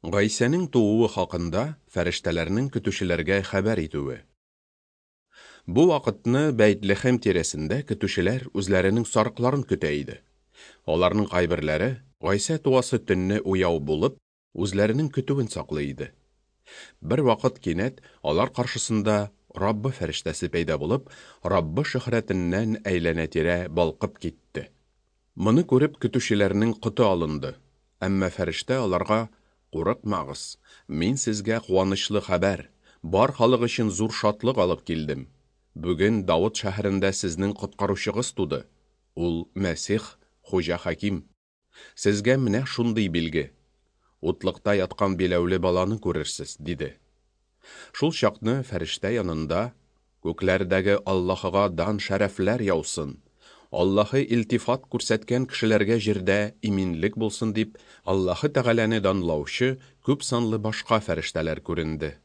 Гайсәнең тууы хакында фәрештәләрнең көтүчеләргә хәбәр итүе. Бу вакытны Бәйтлехем тирәсендә көтүчеләр үзләренең сарыкларын көтә иде. Аларның кайберләре, Гайсә туасы төнне уяу булып, үзләренең көтүен саклый иде. Бервакыт кинәт алар каршысында Раббы фәрештәсе пәйда булып, Раббы шөһрәтеннән әйләнә-тирә балкып китте. Моны күреп, көтүчеләрнең коты алынды. Әмма фәрештә аларга, Курыкмагыз, мин сезгә куанычлы хәбәр, бар халык өчен зур шатлык алып килдем. Бүген Давыт шәһәрендә сезнең Коткаручыгыз туды. Ул, Мәсих, Хуҗа Хаким. Сезгә менә шундый билге, утлыкта яткан биләүле баланы күрерсез, диде. Шул чакны фәрештә янында, Күкләрдәге Аллаһыга дан-шәрәфләр яусын, Аллаһы илтифат күрсәткән кешеләргә җирдә иминлек булсын, дип, Аллаһы Тәгаләне данлаучы күп санлы башка фәрештәләр күренде.